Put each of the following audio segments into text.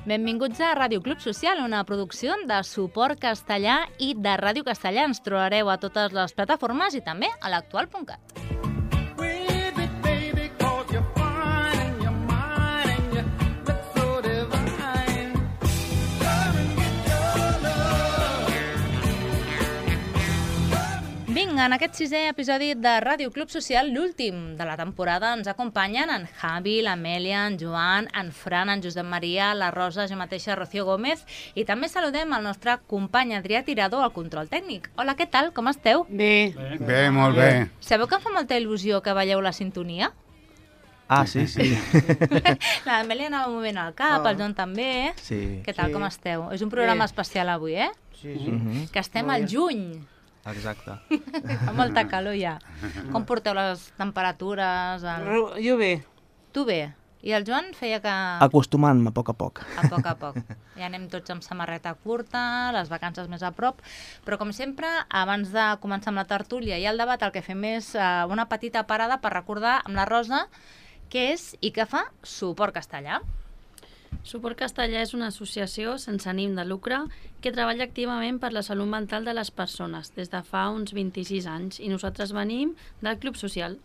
Benvinguts a Ràdio Club Social, una producció de Suport Castellà i de Ràdio Castellà. Ens trobareu a totes les plataformes i també a l'actual.cat. Vinga, en aquest sisè episodi de Ràdio Club Social, l'últim de la temporada, ens acompanyen en Javi, l'Amèlia, en Joan, en Fran, en Josep Maria, la Rosa, jo mateixa, Rocío Gómez, i també saludem el nostre company Adrià Tirado al control tècnic. Hola, què tal? Com esteu? Bé. Bé, molt bé. Sabeu que em fa molta il·lusió que balleu la sintonia? Ah, sí, sí. L'Amèlia anava movent el cap, el Joan també. Sí. Què tal, com esteu? És un programa especial avui, eh? Sí, sí. Que estem al juny. Exacte. Fa molta calor ja. Com porteu les temperatures? Jo bé. Tu bé. I el Joan feia que... Acostumant-me a poc. A poc. Ja anem tots amb samarreta curta, les vacances més a prop. Però, com sempre, abans de començar amb la tertúlia i el debat, el que fem és una petita parada per recordar amb la Rosa què és i què fa Suport Castellà. Suport Castellà és una associació sense ànim de lucre que treballa activament per la salut mental de les persones des de fa uns 26 anys i nosaltres venim del Club Social.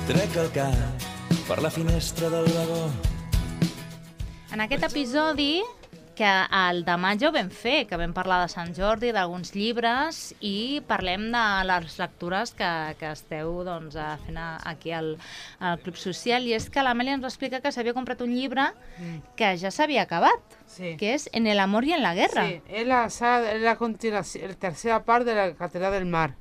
Trec el cap per la finestra del vagó. En aquest episodi, que el de maig ja ho vam fer, que vam parlar de Sant Jordi, d'alguns llibres, i parlem de les lectures que esteu fent aquí al Club Social, i és que l'Amèlia ens explica que s'havia comprat un llibre que ja s'havia acabat, que és En el amor y en la guerra. Sí, es la continuación, la tercera parte de la Catedral del Mar.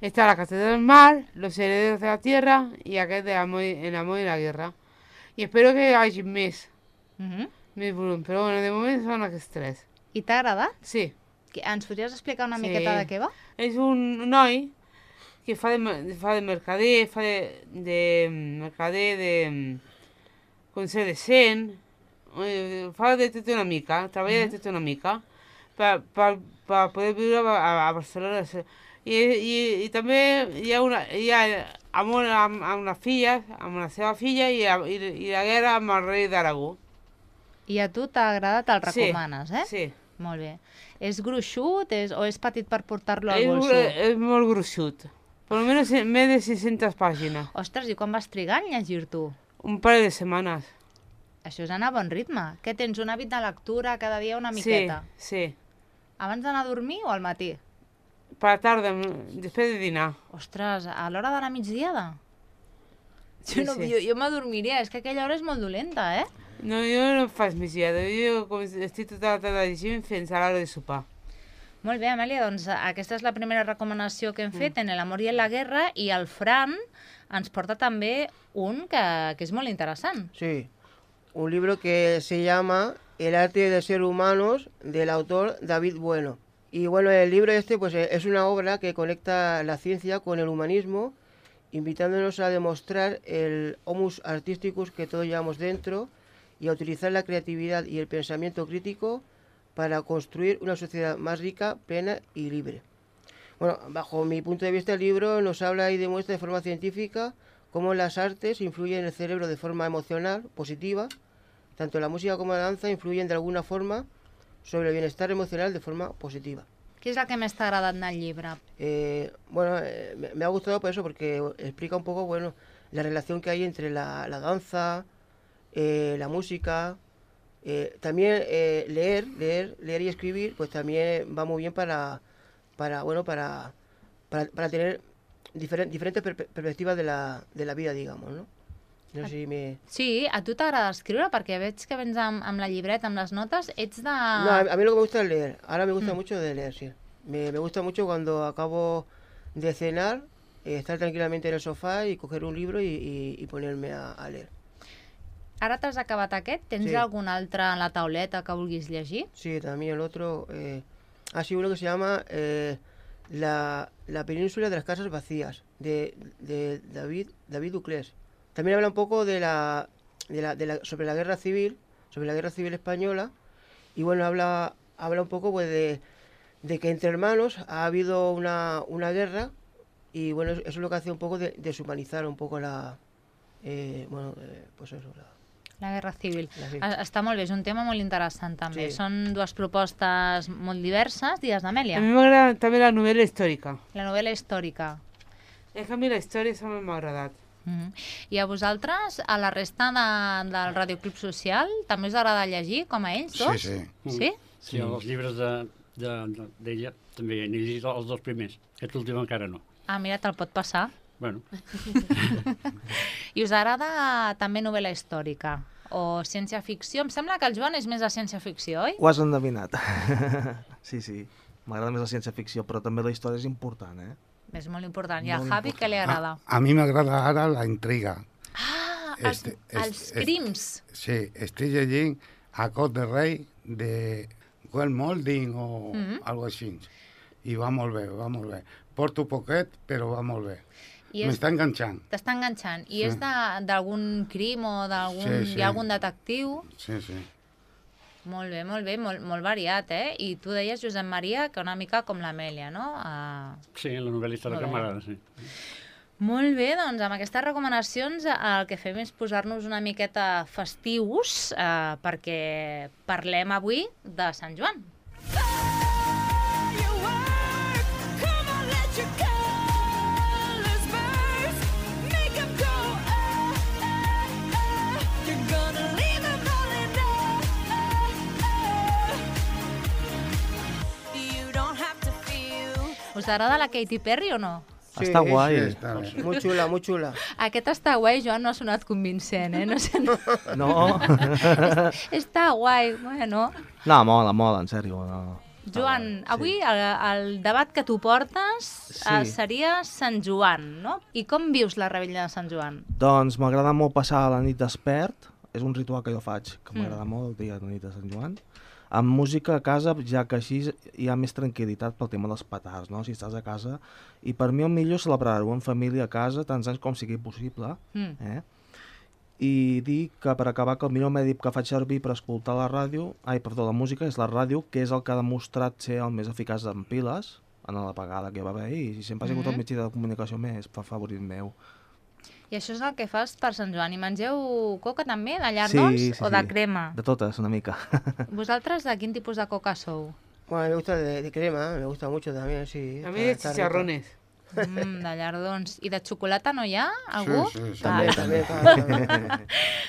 Está la Catedral del Mar, Los herederos de la tierra y aquest de El amor y la guerra. I espero que hi hagi més volum, però bueno, de moment són aquests tres. I t'ha agradat? Sí. Ens podries explicar una miqueta de què va? És un noi que fa de mercader, fa de mercader, de conseller decent, fa de tot una mica, treballa de tot una mica, per poder viure a Barcelona. I també hi ha amor amb la filla, amb la seva filla, i la guerra amb el rei d'Aragó. I a tu t'ha agradat, el recomanes, eh? Sí. Molt bé. És gruixut o és petit per portar-lo al bolso? És molt gruixut. Per almenys més de 600 pàgines. Ostres, i quan vas trigar en llegir-t'ho? Un parell de setmanes. Això és anar a bon ritme. Què tens, un hàbit de lectura cada dia una miqueta? Sí. Abans d'anar a dormir o al matí? Per la tarda, després de dinar. Ostres, a l'hora de la migdiada? Sí. Jo m'adormiria, és que aquella hora és molt dolenta, eh? No, jo no faig migdiada, jo estic tota la tarda llegint fins a l'hora de sopar. Molt bé, Amèlia, doncs aquesta és la primera recomanació que hem fet en El amor y en la guerra, i el Fran ens porta també un que és molt interessant. Sí, un libro que se llama El arte de ser humanos, del autor David Bueno. Y bueno, el libro pues es una obra que conecta la ciencia con el humanismo, invitándonos a demostrar el homus artisticus que todos llevamos dentro y a utilizar la creatividad y el pensamiento crítico para construir una sociedad más rica, plena y libre. Bueno, bajo mi punto de vista, el libro nos habla y demuestra de forma científica cómo las artes influyen en el cerebro de forma emocional, positiva. Tanto la música como la danza influyen de alguna forma sobre el bienestar emocional de forma positiva. Què és el que més t'ha agradat del llibre? Me ha gustado por eso, porque explica un poco la relación que hay entre la danza, la música. También leer y escribir, pues también va muy bien para tener diferentes perspectivas de la vida, digamos, ¿no? No sé si me... Sí, a tu t'agrada escriure, perquè veig que vens amb la llibreta, amb les notes, ets de... No, a mí lo que me gusta es leer. Ahora me gusta mucho de leer, sí. Me gusta mucho cuando acabo de cenar, estar tranquilamente en el sofá y coger un libro y ponerme a leer. Ara t'has acabat aquest? Tens algun altre a la tauleta que vulguis llegir? Sí, también el otro... sí, uno que se llama la península de las casas vacías, de David Duclés. también habla un poco sobre la guerra civil, española, y bueno, habla un poco pues de que entre hermanos ha habido una guerra, y bueno, eso es lo que hace un poco de deshumanizar un poco pues eso, La guerra civil. Sí. Està molt bé, és un tema molt interessant també. Sí. Són dues propostes molt diverses. Digues d'Amèlia. A mí me agrada también la novela histórica. La novel·la històrica. Es que a mí la historia esa me ha agradado. I a vosaltres, a la resta del Radioclub Social, també us agrada llegir, com a ells dos? Sí. Sí? Sí, els llibres d'ella també n'he llegit els dos primers. Aquest últim encara no. Ah, mira, te'l pot passar. Bueno, I us agrada també novel·la històrica o ciència-ficció? Em sembla que el Joan és més de ciència-ficció, oi? Ho has endevinat. Sí. M'agrada més la ciència-ficció, però també la història és important, eh? És molt important. I al Molt Javi, què li agrada? A mí me agrada ara la intriga. Ah, els Este- crims. Sí, estic llegint A Cos de Rei de Well Molding o algo així. I va molt bé. Porto poquet, però va molt bé. M'està enganxant. T'està enganxant. I Sí. és d'algun crim o d'algun... Sí. Hi ha algun detectiu? Sí. Molt bé, molt variat, eh? I tu deies, Josep Maria, que una mica com l'Amèlia, no? sí, la novel·la històrica Molt bé. m'agrada, sí. Molt bé, doncs amb aquestes recomanacions el que fem és posar-nos una miqueta festius perquè parlem avui de Sant Joan. Us agrada la Katy Perry o no? Està guai. Sí, està bé. Muy chula, muy chula. Aquest està guai, Joan, no ha sonat convincent, eh? No sé, no. No? Està guai, bueno. No, mola, en sèrio. No. Joan, Sí. avui el debat que tu portes seria Sant Joan, no? I com vius la rebella de Sant Joan? Doncs m'agrada molt passar la nit despert. És un ritual que jo faig, que m'agrada molt el dia de la nit de Sant Joan. Amb música a casa, ja que així hi ha més tranquil·litat pel tema dels petards, no? Si estàs a casa. I per mi el millor és celebrar-ho en família a casa, tants anys com sigui possible. I dir que, per acabar, que el millor mèdic que faig servir per escoltar la música és la ràdio, que és el que ha demostrat ser el més eficaç en piles, en l'apagada que hi va haver, i sempre ha sigut el mitjà de comunicació més favorit meu. I això és el que fas per Sant Joan. I mengeu coca també, de llardons o de crema? De totes, una mica. Vosaltres de quin tipus de coca sou? Bueno, me gusta de crema, me gusta mucho también, sí. A mí de Está rica. chicharrones. De llardons. I de xocolata no hi ha? Algú? Sí. También.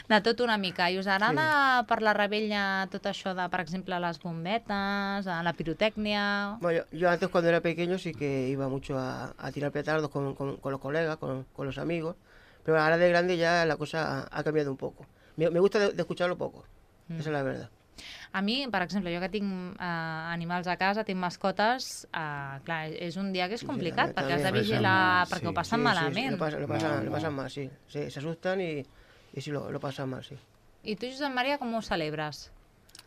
De tot una mica. I us agrada per la rebella tot això de, per exemple, les bombetes, la pirotècnia... Bueno, yo antes cuando era pequeño sí que iba mucho a tirar petardos con los colegas, con los amigos, pero ahora de grande ya la cosa ha cambiado un poco. Me gusta de escucharlo poco, esa es la verdad. A mi, per exemple, jo que tinc animals a casa, tinc mascotes, clar, és un dia que és complicat, perquè has de vigilar, perquè ho passen malament. Sí, lo pasan mal, sí. Se asustan y sí, lo pasan mal, sí. I tu, Josep Maria, com ho celebres?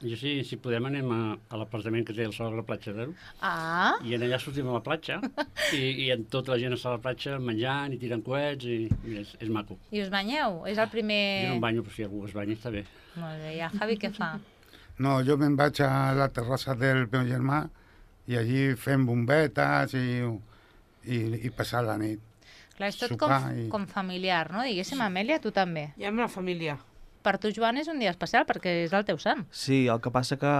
Jo sí, si podem anem a l'apartament que té al sobre la platja d'Aro i en allà sortim a la platja i en tota la gent està a la platja menjant i tirant coets i és maco. I us banyeu? És el primer... Jo no em banyo, però si algú es banya està bé. Molt bé, i el Javi què fa? No, jo me'n vaig a la terrassa del meu germà i allí fem bombetes i passar la nit. Clar, és tot Sopar com familiar, no? Diguéssim, Amèlia, tu també. I amb la família. Per tu, Joan, és un dia especial perquè és el teu sant. Sí, el que passa que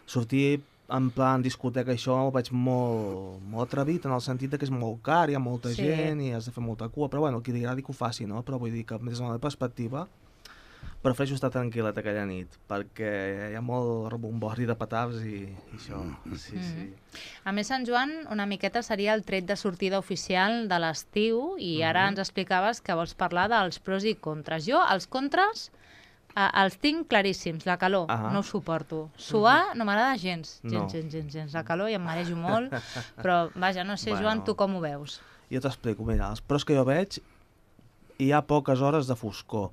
sortir en plan discoteca, això ho veig molt atrevit, en el sentit que és molt car, hi ha molta gent i has de fer molta cua, però bueno, qui li agradi que ho faci, no? Però vull dir que des de la meva perspectiva prefereixo estar tranquil·let aquella nit, perquè hi ha molt rebombori de petards i això, sí. A més, Sant Joan una miqueta seria el tret de sortida oficial de l'estiu i ara ens explicaves que vols parlar dels pros i contres. Jo, els contres, els tinc claríssims. La calor, no ho suporto. Suar no m'agrada gens. Gens. La calor i em marejo molt, però vaja, no sé, Joan, tu com ho veus? Jo t'explico, mira, els pros que jo veig, hi ha poques hores de foscor.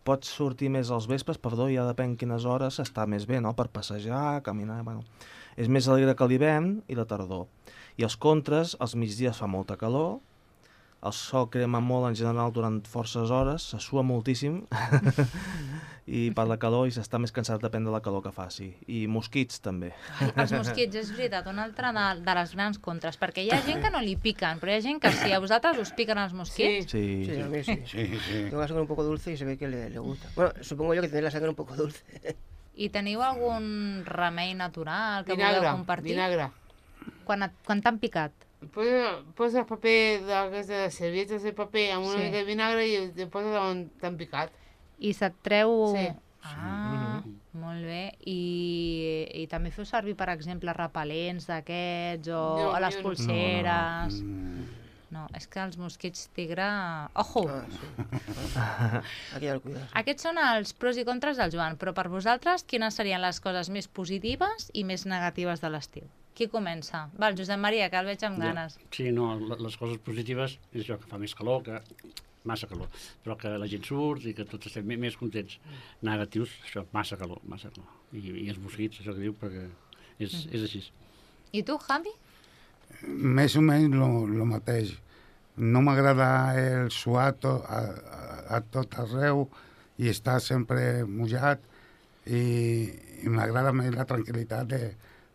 Pots sortir més als vespres, ja depèn quines hores està més bé, no?, per passejar, caminar, bueno. És més alegre que l'hivern i la tardor. I els contres, als migdies fa molta calor, el sol crema molt en general durant forces hores, se sua moltíssim i per la calor i s'està més cansat depèn de la calor que faci. I mosquits també. Els mosquits, és veritat, una altra de les grans contres, perquè hi ha gent que no li piquen, però hi ha gent que sí. A vosaltres us piquen els mosquits? Sí, a mí sí. Tengo la sangre un poco dulce y se ve que le gusta. Bueno, supongo yo que tenéis la sangre un poco dulce. I teniu algun remei natural que voleu compartir? Vinagre. Quan t'han picat? Poses paper de servietes de paper amb una mica de vinagre i te poses on t'han picat. I se't treu... Sí. Molt bé. I també feu servir, per exemple, repel·lents d'aquests o a les polseres? No, és que els mosquits tigre... Ojo! Aquí ha el cuidado. Aquests són els pros i contres del Joan, però per vosaltres, quines serien les coses més positives i més negatives de l'estiu? Qui comença? Va, el Josep Maria, que el veig amb ganes. Sí, no, les coses positives és això, que fa més calor, que massa calor, però que la gent surt i que tots estem més contents. Negatius, això, massa calor. I els mosquits, això que diu, perquè és així. I tu, Javi? Més o menys el mateix. No m'agrada el suar a tot arreu i estar sempre mullat i m'agrada més la tranquil·litat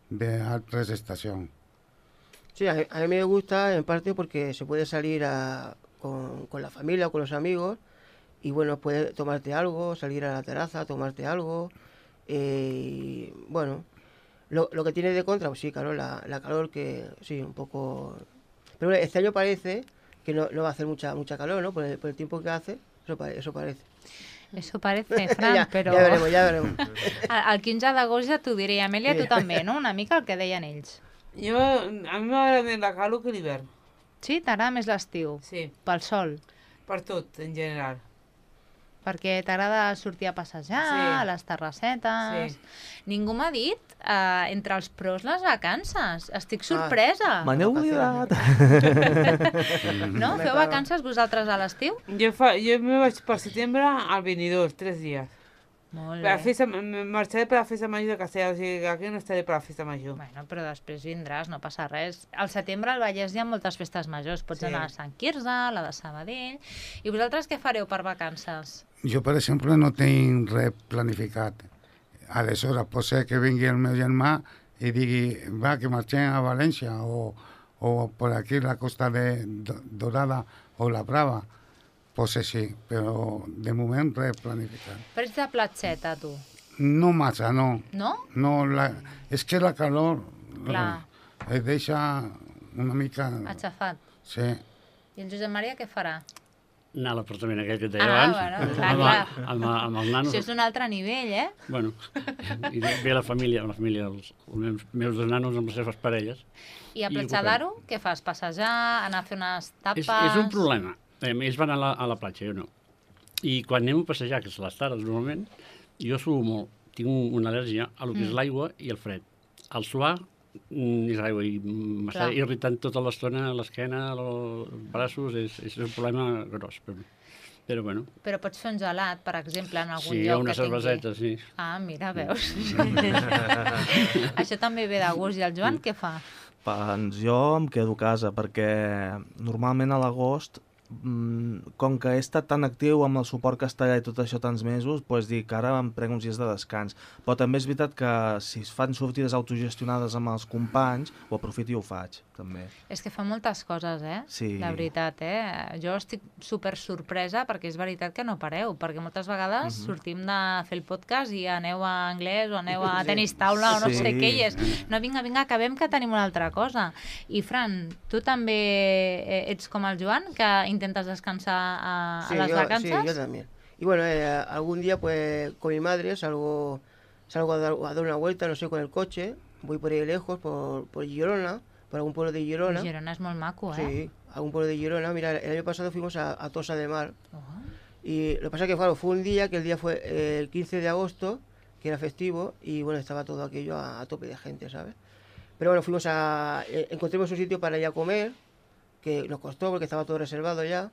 de otras estaciones. Sí, a mí me gusta en parte porque se puede salir con la familia o con los amigos y bueno, puedes tomarte algo, salir a la terraza, tomarte algo. Bueno, lo que tiene de contra, pues sí, claro, la calor que sí, un poco... Pero este año parece que no va a hacer mucha calor, ¿no? Por el tiempo que hace, eso parece. Eso parece, Fran, però... Ja veremos. El 15 d'agost ja t'ho diré, Amèlia, tu també, no? Una mica el que deien ells. A mi m'agrada més la calor que l'hivern. Sí? T'agrada més l'estiu? Sí. Pel sol? Per tot, en general. Perquè t'agrada sortir a passejar, a les terrassetes... Sí. Ningú m'ha dit, entre els pros, les vacances. Estic sorpresa. Me n'he oblidat. No? Feu vacances vosaltres a l'estiu? Jo me vaig per setembre al 22, 3 dies. Molt bé. Marxaré per la festa major de Castellà, o sigui que aquí no estaré per la festa major. Bueno, però després vindràs, no passa res. Al setembre al Vallès hi ha moltes festes majors. Pots anar a Sant Quirze, a la de Sabadell... I vosaltres què fareu per vacances? Jo, per exemple, no tinc res planificat. Aleshores, pot ser que vingui el meu germà i digui, va, que marxem a València o per aquí la Costa de Dorada o la Brava. Pues sí, però de moment res planificat. Però ets de platxeta, tu? No massa, no. No? No, és que la calor et deixa una mica... Aixafat. Sí. I el Josep Maria què farà? Anar a l'apartament aquell que et deia abans. Bueno, clar. Amb els nanos. Això és un altre nivell, eh? Bueno, i ve la família, els meus dos nanos amb les seves parelles. I a Platja d'Aro, què fas? Passejar, anar a fer unes tapes... És un problema. Ells van a la platja, jo no. I quan anem a passejar, que és a les tardes normalment, jo suo molt. Tinc una al·lèrgia a lo que és l'aigua i el fred. El suar és aigua i m'està irritant tota l'estona l'esquena, els braços, és un problema gros per mi. Però bueno. Però pots fer un gelat, per exemple, en algun lloc que tingui... Sí, una cerveseta, sí. Ah, mira, veus? Això també ve de gust. I el Joan què fa? Doncs jo em quedo a casa, perquè normalment a l'agost, com que he estat tan actiu amb el suport castellà i tot això tants mesos, doncs dic, ara em prenc uns dies de descans. Però també és veritat que si es fan sortides autogestionades amb els companys, ho aprofito i ho faig, també. És que fa moltes coses, Sí. La veritat, Jo estic super sorpresa perquè és veritat que no pareu, perquè moltes vegades sortim de fer el podcast i aneu a anglès o aneu a tenis taula o no sé què, i és, no, vinga, acabem que tenim una altra cosa. I Fran, tu també ets com el Joan, que intentes descansar a las vacances? Sí, yo también. Y bueno, algún día pues con mi madre salgo a dar una vuelta, no sé, con el coche, voy por ahí lejos, por Girona, por algún pueblo de Girona. Girona es muy maco, Sí, algún pueblo de Girona. Mira, el año pasado fuimos a Tossa de Mar. Y lo que pasa es que claro, fue un día que el día fue el 15 de agosto, que era festivo, y bueno, estaba todo aquello a tope de gente, ¿sabes? Pero bueno, encontramos un sitio para ir a comer, que nos costó porque estaba todo reservado ya,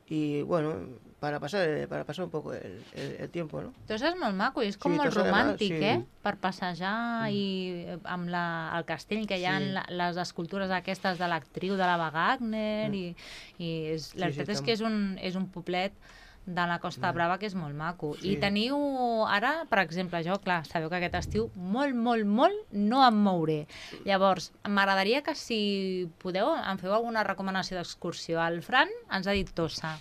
y bueno, para pasar un poco el tiempo, ¿no? Entonces és molt maco i és com Sí, molt Tossa de Mar, romàntic, sí. Per passejar i amb el castell que hi ha les escultures aquestes de l'actriu de l'Ava Gardner i la veritat és que és un poblet de la Costa Brava que és molt maco. I teniu ara, per exemple, jo, clar, sabeu que aquest estiu molt no em mouré. Llavors, m'agradaria que si podeu em feu alguna recomanació d'excursió. El Fran ens ha dit Tossa.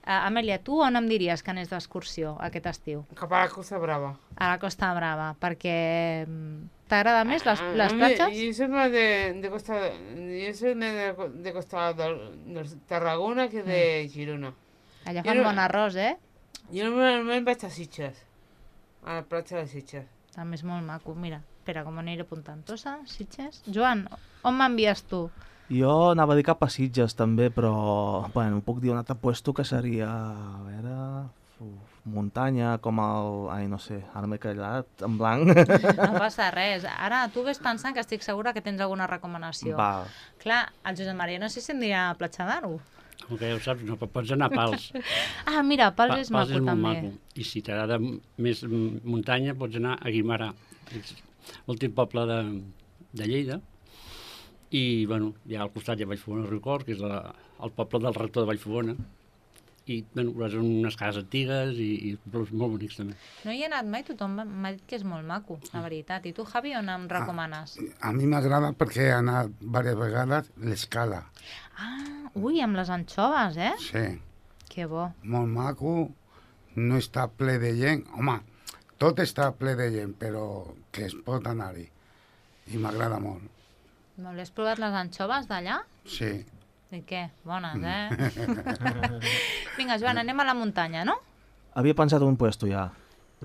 Amèlia, tu on em diries que anés d'excursió aquest estiu? Cap a la Costa Brava. A la Costa Brava, perquè t'agrada més les platges? Yo soy más de Costa... Yo soy más de Costa de Tarragona que de Girona. Allà fan bon arròs, Jo normalment vaig a Sitges, a la platja de Sitges. També és molt maco. Mira, espera, com aniré apuntant. Tossa, Sitges... Joan, on m'envies tu? Jo anava a dir cap a Sitges també, però bueno, puc dir un altre puesto que seria, a veure, muntanya, com el... Ai, no sé, ara m'he callat, en blanc. No passa res. Ara tu ves pensant que estic segura que tens alguna recomanació. Va. Clar, el Josep Maria no sé si em dirà Platja d'Aro. Com que ja ho saps, no, però pots anar a Pals. Ah, mira, Pals és maco molt també. maco. I si t'agrada més muntanya, pots anar a Guimarà, l'últim poble de Lleida. I, bueno, ja al costat hi ha Vallfogona Riucorb, que és el poble del rector de Vallfogona. I, bueno, veuràs unes cases antigues i pobles molt bonics també. No hi he anat mai, tothom m'ha dit que és molt maco, la veritat. I tu, Javi, on em recomanes? A mi m'agrada perquè he anat diverses vegades l'Escala. Ui, amb les anxoves, Sí. Que bo. Molt maco, no està ple de gent. Home, tot està ple de gent, però que es pot anar-hi. I m'agrada molt. Molt bé, has provat les anxoves d'allà? Sí. I què? Bones, Vinga, Joan, anem a la muntanya, no? Havia pensat un puesto ja.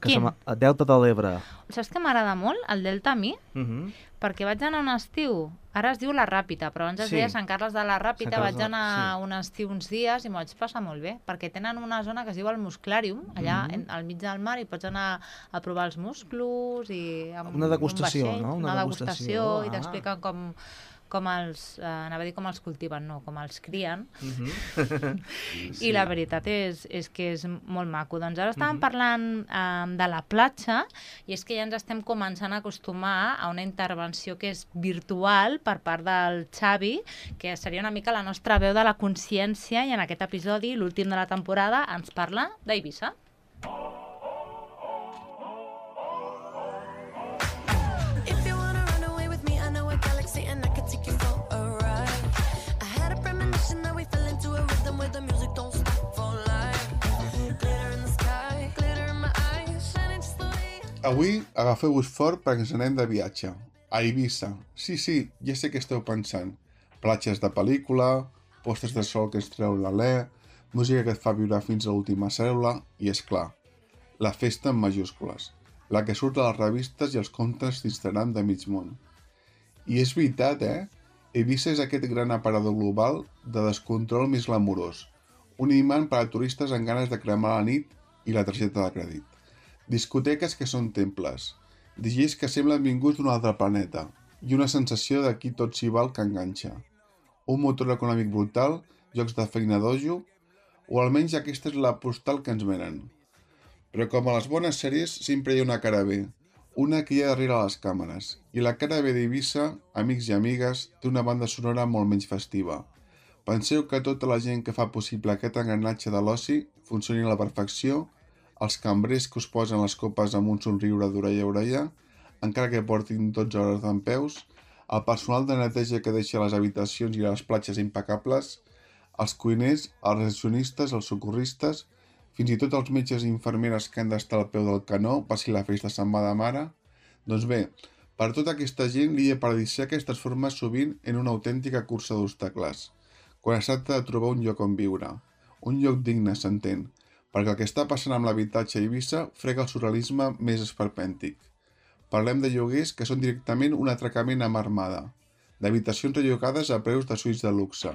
Quin? El Delta de l'Ebre. Saps que m'agrada molt, el Delta a mi? Perquè vaig anar un estiu, ara es diu La Ràpita, però abans es deia Sant Carles de la Ràpita, vaig anar un estiu uns dies i m'ho vaig passar molt bé, perquè tenen una zona que es diu el Musclàrium, allà al mig del mar, i pots anar a provar els musclos i amb una degustació, un vaixell, no? Una degustació i t'expliquen com els, anava a dir com els cultiven, no, com els crien. I la veritat és que és molt maco. Doncs ara estàvem parlant de la platja i és que ja ens estem començant a acostumar a una intervenció que és virtual per part del Xavi, que seria una mica la nostra veu de la consciència, i en aquest episodi, l'últim de la temporada, ens parla d'Eivissa. Avui agafeu-vos fort perquè ens anem de viatge. A Eivissa. Sí, ja sé què esteu pensant. Platges de pel·lícula, postes de sol que ens treu l'alè, música que et fa viure fins a l'última cèl·lula i, és clar, la festa en majúscules, la que surt a les revistes i els contes d'Instagram de mig món. I és veritat, Eivissa és aquest gran aparador global de descontrol més glamurós, un imant per a turistes amb ganes de cremar la nit i la targeta de crèdit. Discoteques que són temples, DJs que semblen vinguts d'un altre planeta i una sensació d'aquí tot s'hi val que enganxa. Un motor econòmic brutal, jocs de feina dojo, o almenys aquesta és la postal que ens venen. Però com a les bones sèries sempre hi ha una cara B, una que hi ha darrere les càmeres, i la cara B d'Eivissa, amics i amigues, té una banda sonora molt menys festiva. Penseu que tota la gent que fa possible aquest engranatge de l'oci funcioni a la perfecció, els cambrers que us posen les copes amb un somriure d'orella a orella, encara que portin 12 hores dempeus, el personal de neteja que deixa les habitacions i les platges impecables, els cuiners, els recepcionistes, els socorristes, fins i tot els metges i infermeres que han d'estar al peu del canó per si la festa se'n va de mare. Doncs bé, per tota aquesta gent, l'illa paradisíaca es transforma sovint en una autèntica cursa d'obstacles, quan es tracta de trobar un lloc on viure, un lloc digne, s'entén, perquè el que està passant amb l'habitatge a Eivissa frega el surrealisme més esperpèntic. Parlem de lloguers que són directament un atracament a mà armada, d'habitacions rellocades a preus de suïts de luxe,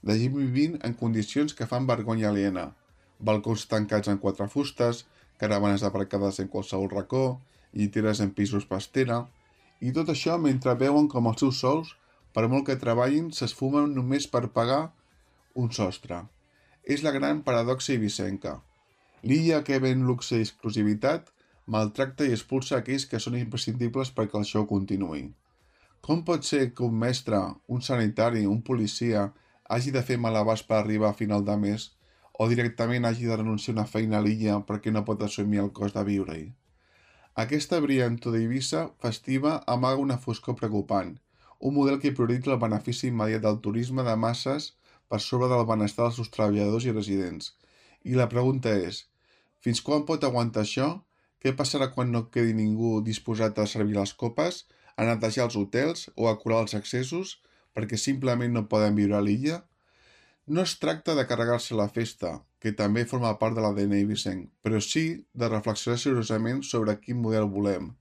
de gent vivint en condicions que fan vergonya aliena, balcons tancats en 4 fustes, caravanes aparcades en qualsevol racó, lliteres en pisos pastera, i tot això mentre veuen com els seus sous, per molt que treballin, s'esfumen només per pagar un sostre. És la gran paradoxa ibicenca. L'illa que ven luxe i exclusivitat maltracta i expulsa aquells que són imprescindibles perquè el show continuï. Com pot ser que un mestre, un sanitari, un policia hagi de fer malabars per arribar a final de mes o directament hagi de renunciar a una feina a l'illa perquè no pot assumir el cost de viure-hi? Aquesta brillantor d'Eivissa festiva amaga una foscor preocupant, un model que prioritza el benefici immediat del turisme de masses per sobre del benestar dels seus treballadors i residents. I la pregunta és, fins quan pot aguantar això? Què passarà quan no quedi ningú disposat a servir les copes, a netejar els hotels o a curar els accessos perquè simplement no poden viure a l'illa? No es tracta de carregar-se la festa, que també forma part de l'ADN eivissenc, però sí de reflexionar seriosament sobre quin model volem.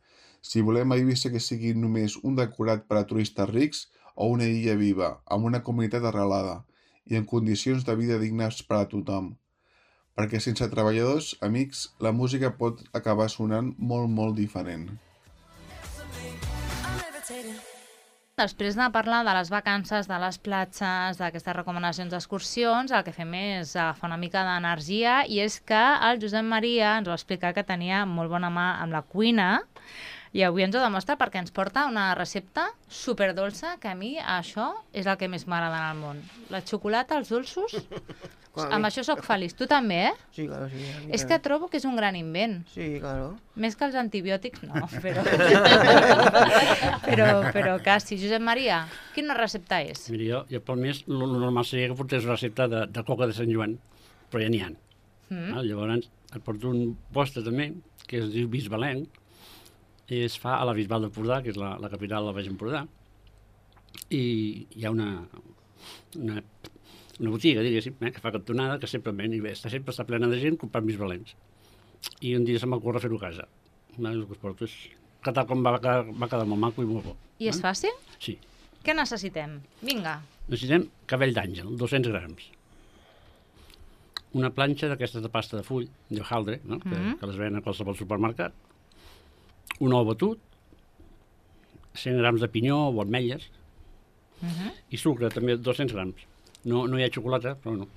Si volem a Eivissa que sigui només un decorat per a turistes rics o una illa viva, amb una comunitat arrelada i en condicions de vida dignes per a tothom. Perquè sense treballadors, amics, la música pot acabar sonant molt, molt diferent. Després de parlar de les vacances, de les platges, d'aquestes recomanacions d'excursions, el que fem és agafar una mica d'energia i és que el Josep Maria ens va explicar que tenia molt bona mà amb la cuina i avui ens ho demostra perquè ens porta una recepta superdolça que a mi això és el que més m'agrada en el món. La xocolata, els dolços, amb això sóc feliç. Tu també, eh? Sí, claro, sí. És que trobo que és un gran invent. Sí, claro. Més que els antibiòtics, no, però quasi. Josep Maria, quina recepta és? Mira, jo pel mes, el normal seria que portés una recepta de coca de Sant Joan, però ja n'hi ha. Llavors, et porto un postre també, que es diu bisbalenc, i es fa a la Bisbal d'Empordà, que és la capital del Baix Empordà, i hi ha una botiga, diguéssim, que fa cantonada, que sempre ven, i bé, sempre està plena de gent comprant bisbalencs. I un dia se m'ocorre fer-ho a casa. El que es porto és que tal com va quedar molt maco i molt bo. I és fàcil? Sí. Què necessitem? Vinga. Necessitem cabell d'àngel, 200 grams. Una planxa d'aquestes de pasta de full, d'hojaldre, no? que les ven a qualsevol supermercat. Un ou batut, 100 grams de pinyó o ametlles, i sucre, també 200 grams. No hi ha xocolata, però no.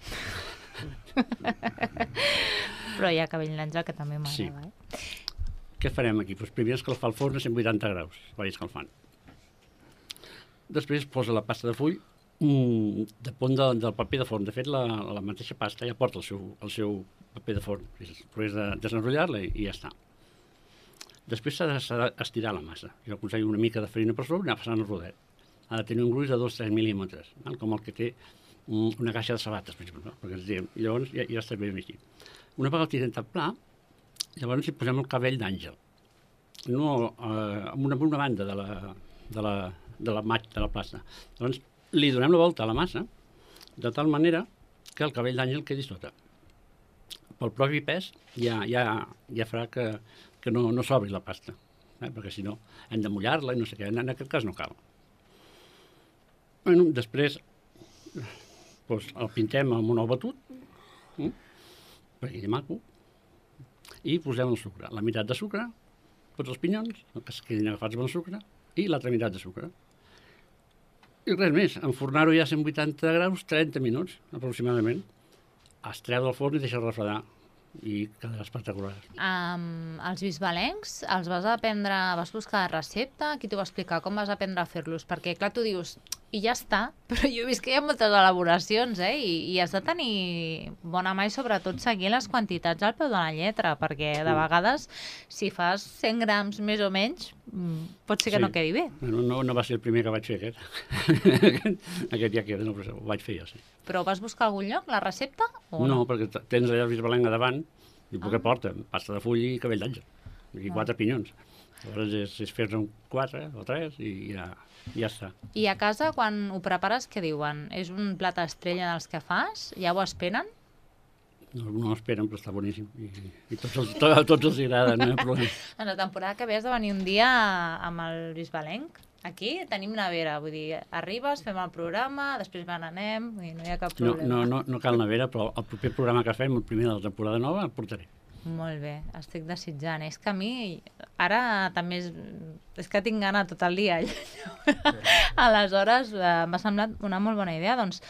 Però hi ha cabell d'àngel, que també m'agrada. Sí. Què farem aquí? Doncs primer escalfar el forn a 180 graus, vaig escalfant. Després posa la pasta de full damunt del paper de forn. De fet, la mateixa pasta ja porta el seu paper de forn. Després de desenrotllar-la i ja està. Després s'ha d'estirar la massa. Jo aconsello una mica de farina per sobre i anar passant el rodet. Ha de tenir un gruix de 2-3 mil·límetres, com el que té una caixa de sabates, per exemple, perquè ens diem. Llavors ja està ben així. Una vegada el tirem tan pla, llavors hi posem el cabell d'àngel. No, amb una banda de la plasta. Llavors li donem la volta a la massa, de tal manera que el cabell d'àngel quedi sota. Pel propi pes ja farà que no s'obri la pasta, perquè si no hem de mullar-la i no sé què, en aquest cas no cal. Després el pintem amb un ou batut, perquè quedi maco, i posem el sucre, la meitat de sucre, tots els pinyons, que es quedin agafats amb el sucre, i l'altra meitat de sucre. I res més, enfornar-ho ja a 180 graus, 30 minuts aproximadament. Es treu del forn i deixa refredar i quedarà espectacular. Els bisbalencs els vas buscar recepta? Qui t'ho va explicar? Com vas aprendre a fer-los? Perquè, clar, tu dius, i ja està, però jo he vist que hi ha moltes elaboracions, i has de tenir bona mà i sobretot seguir les quantitats al peu de la lletra, perquè de vegades, si fas 100 grams més o menys, pot ser que no quedi bé. No va ser el primer que vaig fer, aquest. Aquest ja queda, però ho vaig fer jo, sí. Però vas buscar a algun lloc, la recepta? No, perquè tens allà el bisbalenc a davant, i què porta? Pasta de full i cabell d'àngel, i 4 pinyons. Llavors és fer-ne 4 o 3 i ja està. I a casa, quan ho prepares, què diuen? És un plat estrella dels que fas? Ja ho esperen? No esperen, però està boníssim. I tots els agrada, no hi ha problema. En la temporada que ve has de venir un dia amb el bisbalenc. Aquí tenim nevera, vull dir, arribes, fem el programa, després n'anem, no hi ha cap problema. No cal nevera, però el proper programa que fem, el primer de la temporada nova, el portaré. Molt bé, estic desitjant. És que a mi, ara també és que tinc gana tot el dia. Aleshores, m'ha semblat una molt bona idea. Doncs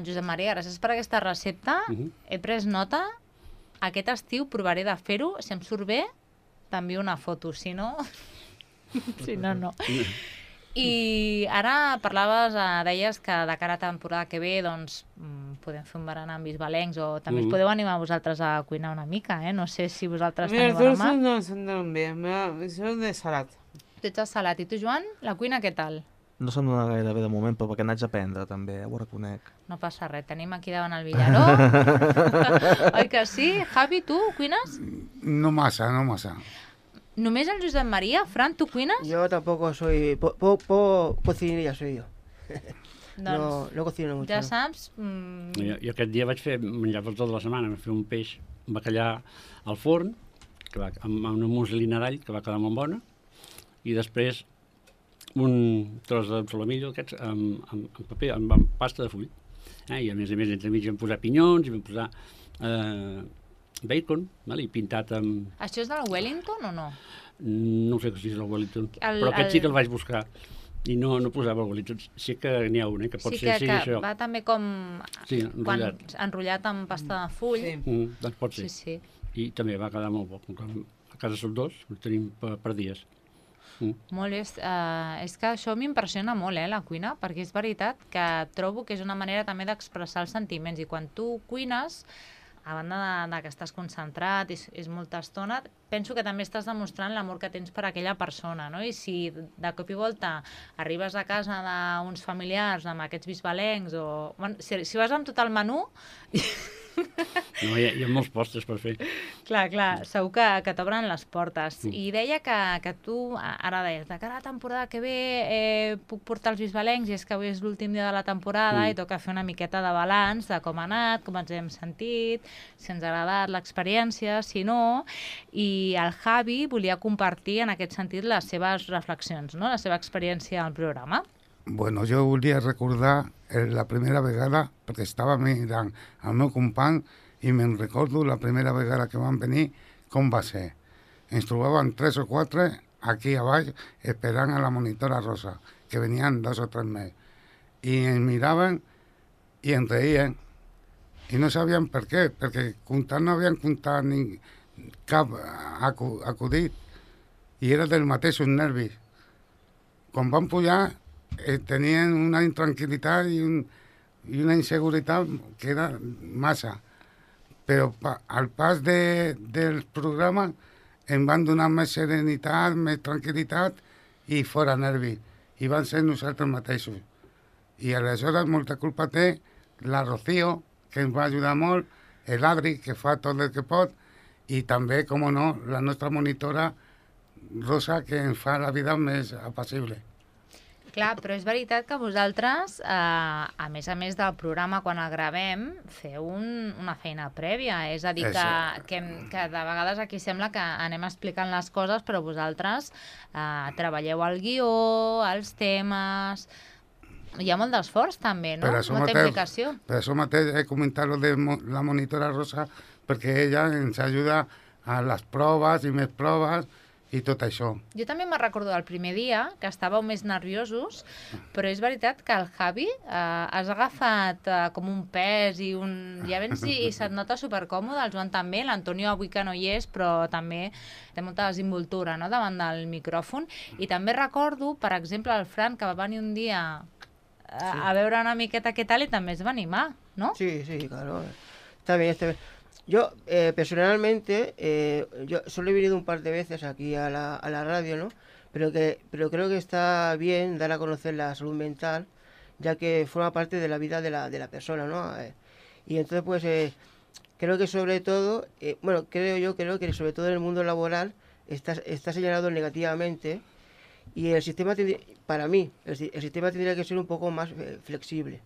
Josep Maria, gràcies per aquesta recepta. He pres nota. Aquest estiu provaré de fer-ho. Si em surt bé, t'envio una foto. Si no, no. I ara parlaves, deies que de cara a temporada que ve doncs, podem fer un berenar amb bisbalencs o també us podeu animar vosaltres a cuinar una mica, No sé si vosaltres teniu a la mà. Els dolços no s'entenen bé, són de salat. Tu ets de salat. I tu, Joan, la cuina què tal? No se'm dona gaire bé de moment, però perquè n'haig d'aprendre també, ho reconec. No passa res, tenim aquí davant el Villaró. Oi que sí? Javi, tu cuines? No massa. Només el Josep Maria? Fran, tu cuines? Yo tampoco soy... cocinilla soy yo. Doncs no cocino mucho. ja ¿no? saps... Jo aquest dia vaig fer menjar per tota la setmana, vaig fer un peix, un bacallà al forn, amb una muslina d'all, que va quedar molt bona, i després un tros de solomillo aquests amb paper, amb pasta de full. I a més, entremig vam posar pinyons, i vam posar bacon, i pintat amb... Això és del Wellington o no? No sé si és el Wellington, però aquest sí que el vaig buscar. I no posava el Wellington. Sí que n'hi ha un, que pot ser que això. va també com... Sí, enrotllat. Enrotllat amb pasta de full. Sí. Doncs pot ser. Sí. I també va quedar molt bo. A casa som dos, ho tenim per dies. Molt bé. És que això m'impressiona molt, la cuina, perquè és veritat que trobo que és una manera també d'expressar els sentiments. I quan tu cuines, a banda que estàs concentrat, és molta estona, penso que també estàs demostrant l'amor que tens per aquella persona, no? I si de cop i volta arribes a casa d'uns familiars amb aquests bisbalencs o... Bueno, si vas amb tot el menú... No, hi ha molts postres per fer. Clar, segur que t'obren les portes. I deia que tu, ara deies, de cara a la temporada que ve puc portar els bisbalencs i és que avui és l'últim dia de la temporada i toca fer una miqueta de balanç de com ha anat, com ens hem sentit, si ens ha agradat l'experiència, si no, i el Javi volia compartir en aquest sentit les seves reflexions, no? La seva experiència al programa. Bueno, jo volia recordar la primera vegada, perquè estava mirant el meu company i me'n recordo la primera vegada que van venir, com va ser. Ens trobaven 3 o 4 aquí a baix esperant a la monitora rosa, que venien 2 o 3 més. I ens miraven i ens reien. I no sabien per què, perquè comptar no havien comptat cap acudit. I era del mateixos nervis. Quan van pujar, tenien una intranquil·litat i una inseguretat que era massa. Però al pas del programa em van donar més serenitat, més tranquil·litat i fora nervis. I van ser nosaltres mateixos. I aleshores molta culpa té la Rocío, que ens va ajudar molt, l'Adri, que fa tot el que pot, i també, com no, la nostra monitora Rosa, que ens fa la vida més apassible. Clar, però és veritat que vosaltres, a més del programa, quan el gravem, feu una feina prèvia. És a dir, que de vegades aquí sembla que anem explicant les coses, però vosaltres treballeu el guió, els temes... Hi ha molt d'esforç, també, no? Molta implicació. Per això mateix he comentat lo de la monitora Rosa, perquè ella ens ajuda a les proves i més proves, i tot això. Jo també me'n recordo del primer dia, que estàveu més nerviosos, però és veritat que el Javi has agafat com un pes i ja vens i se't nota supercòmode, el Joan també, l'Antonio avui que no hi és, però també té molta desinvoltura, no?, davant del micròfon. I també recordo, per exemple, el Fran, que va venir un dia a veure una miqueta què tal i també es va animar, ¿no? Sí, claro. Está bien. Yo, personalmente, yo solo he venido un par de veces aquí a la radio, ¿no? Pero creo que está bien dar a conocer la salud mental, ya que forma parte de la vida de la persona, ¿no? Y entonces, pues, creo que sobre todo, creo que sobre todo en el mundo laboral está señalado negativamente, y el sistema, para mí, el sistema tendría que ser un poco más flexible.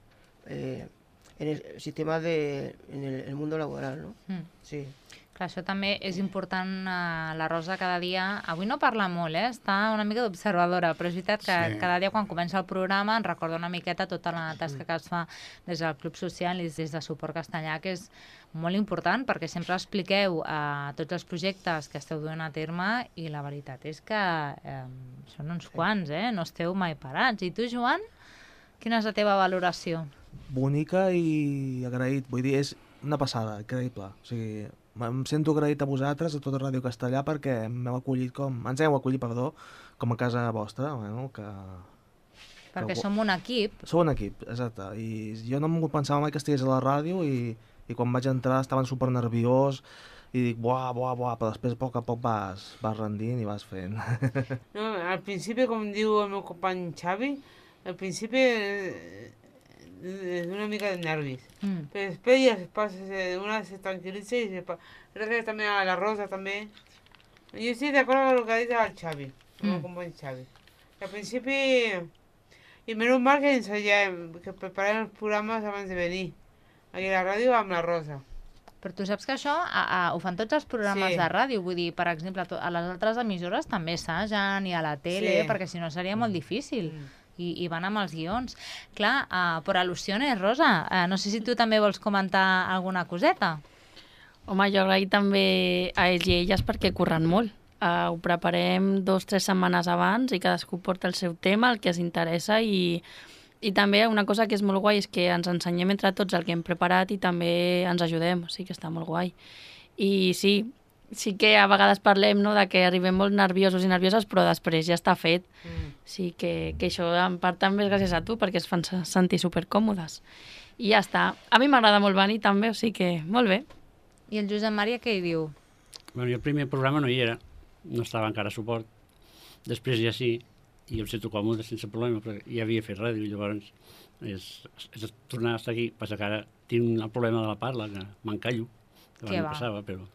En el sistema en el mundo laboral, no? Sí. Clar, això també és important. La Rosa cada dia... Avui no parla molt, està una mica d'observadora, però és veritat que cada dia quan comença el programa ens recorda una miqueta tota la tasca que es fa des del Club Social i des de Suport Castellà, que és molt important perquè sempre expliqueu tots els projectes que esteu duent a terme i la veritat és que són uns quants, no esteu mai parats. I tu, Joan, quina és la teva valoració? bonica i agraït. Vull dir, és una passada, increïble. O sigui, em sento agraït a vosaltres, a tota Ràdio Castellà, perquè ens heu acollit, com a casa vostra, bueno, perquè som un equip. Som un equip, exacte. I jo no em pensava mai que estigués a la ràdio i quan vaig entrar estaven super nerviós i dic, buah, però després a poc vas rendint i vas fent. No, al principi, com diu el meu company Xavi, al principi és una mica de nervis. Però després ja una se tranquil·litza i gràcies també a la Rosa també. Jo estic d'acord amb el que ha dit el Xavi, el meu company Xavi. Al principi, i menys mal que ensayem, que preparem els programes abans de venir aquí a la ràdio amb la Rosa. Però tu saps que això ho fan tots els programes de ràdio, vull dir, per exemple, a les altres emissores també assagen i a la tele, perquè si no seria molt difícil. I van amb els guions. Clar, per al·lusiones, Rosa, no sé si tu també vols comentar alguna coseta. Home, jo agraït també a ells i elles perquè curren molt. Ho preparem 2 o 3 setmanes abans i cadascú porta el seu tema, el que els interessa i també una cosa que és molt guai és que ens ensenyem entre tots el que hem preparat i també ens ajudem, o sigui que està molt guai. I sí que a vegades parlem, no, de que arribem molt nerviosos i nervioses, però després ja està fet. Sí que això en part també és gràcies a tu, perquè es fan sentir supercòmodes. I ja està. A mi m'agrada molt venir també, o sigui que molt bé. I el Josep Maria què hi diu? Bueno, jo el primer programa no hi era, no estava encara a suport. Després ja sí, i em sento còmode sense problema, perquè ja havia fet ràdio, llavors és tornar a estar aquí. Passa que ara tinc el problema de la parla, que m'encallo, que abans no passava, però...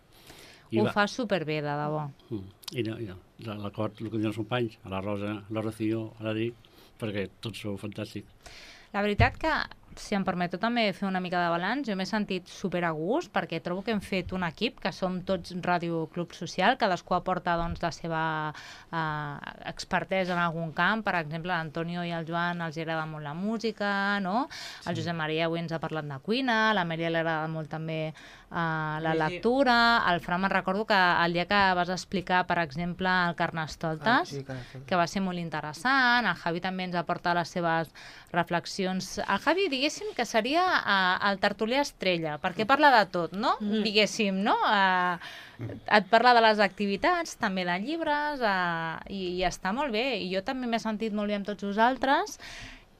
Ho fa superbé, de debò. I l'acord, el que diuen els companys, a la Rosa, a la Rocío, a l'Adri, perquè tots sou fantàstics. La veritat que, si em permeto també fer una mica de balanç, jo m'he sentit super a gust perquè trobo que hem fet un equip, que som tots Ràdio Club Social, cadascú aporta doncs, la seva expertesa en algun camp. Per exemple, l'Antonio i el Joan els agrada molt la música, no? El Josep Maria avui ens ha parlat de cuina, la Mèria li agrada molt també la lectura. El Fran, me'n recordo que el dia que vas explicar, per exemple, el Carnestoltes, que va ser molt interessant, el Javi també ens aporta les seves reflexions. El Javi, diguéssim que seria el tertulià estrella, perquè parla de tot, no? Diguéssim, no? Et parla de les activitats, també de llibres, i està molt bé. I jo també m'he sentit molt bé amb tots vosaltres,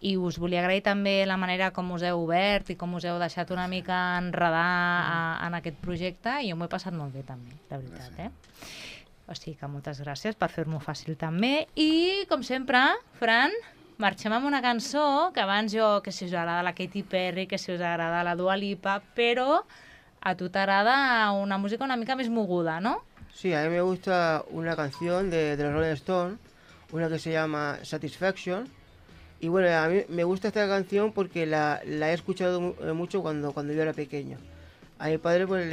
i us volia agrair també la manera com us heu obert i com us heu deixat una mica enredar en aquest projecte, i jo m'ho he passat molt bé també, de veritat, O sigui que moltes gràcies per fer-m'ho fàcil també. I, com sempre, Fran, marxem amb una cançó que abans que si us agrada la Katy Perry, que si us agrada la Dua Lipa, però a tu t'agrada una música una mica més moguda, ¿no? Sí, a mí me gusta una canción de los Rolling Stones, una que se llama Satisfaction. Y bueno, a mí me gusta esta canción porque la he escuchado mucho cuando yo era pequeño. A mi padre pues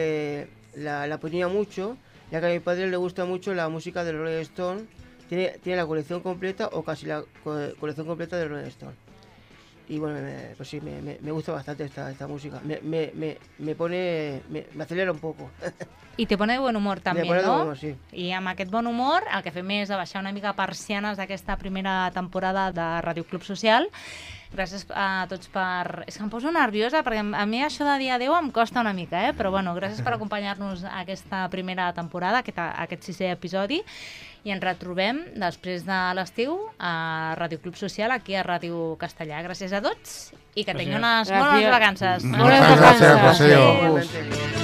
la ponía mucho, ya que a mi padre le gusta mucho la música de los Rolling Stones. Tiene la colección completa o casi la colección completa de Rolling Stone. Y bueno, pues sí, me gusta bastante esta música. Me acelera un poco. I te pone de bon humor també, no? De bon humor, sí. I amb aquest bon humor el que fem és abaixar una mica persianes d'aquesta primera temporada de Ràdio Club Social. Gràcies a tots per... És que em poso nerviosa perquè a mi això de dir adéu em costa una mica, però bueno, gràcies per acompanyar-nos a aquesta primera temporada, aquest 6è episodi, i ens retrobem després de l'estiu a Ràdio Club Social, aquí a Ràdio Castellà. Gràcies a tots i que tinguin unes bones vacances. Moltes gràcies, Rocío.